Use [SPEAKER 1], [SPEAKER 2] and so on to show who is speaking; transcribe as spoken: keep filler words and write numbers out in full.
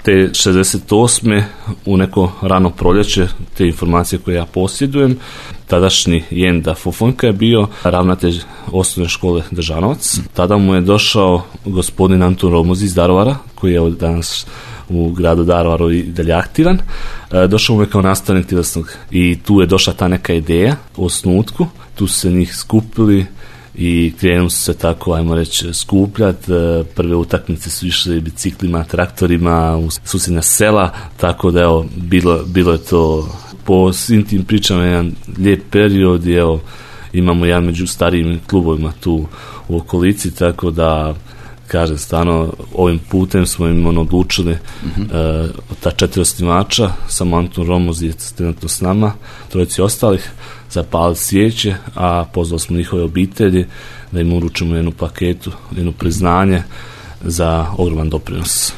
[SPEAKER 1] te šezdeset osme u neko rano proljeće, te informacije koje ja posjedujem, tadašnji Jenda Fofonka je bio ravnatelj osnovne škole Držanovac. Tada mu je došao gospodin Antun Romoz iz Daruvara, koji je danas u gradu Daruvaru i dalje aktivan. Došao mu je kao nastavnik tjelesnog i tu je došla ta neka ideja o osnutku. Tu su se njih skupili i krenu su se tako, ajmo reći, skupljati. Prve utakmice su išle biciklima, traktorima u susjedna sela, tako da evo, bilo, bilo je to po svim tim pričama jedan lijep period i evo, imamo jedan među starijim klubovima tu u okolici, tako da kažem, stvarno ovim putem smo im ono odlučili mm-hmm. uh, ta četiri osnivača, samo Antun Romoz je trenutno s nama, trojici ostalih, zapaliti svijeće, a pozvali smo njihove obitelji da im uručimo jednu paketu, jedno priznanje za ogroman doprinos.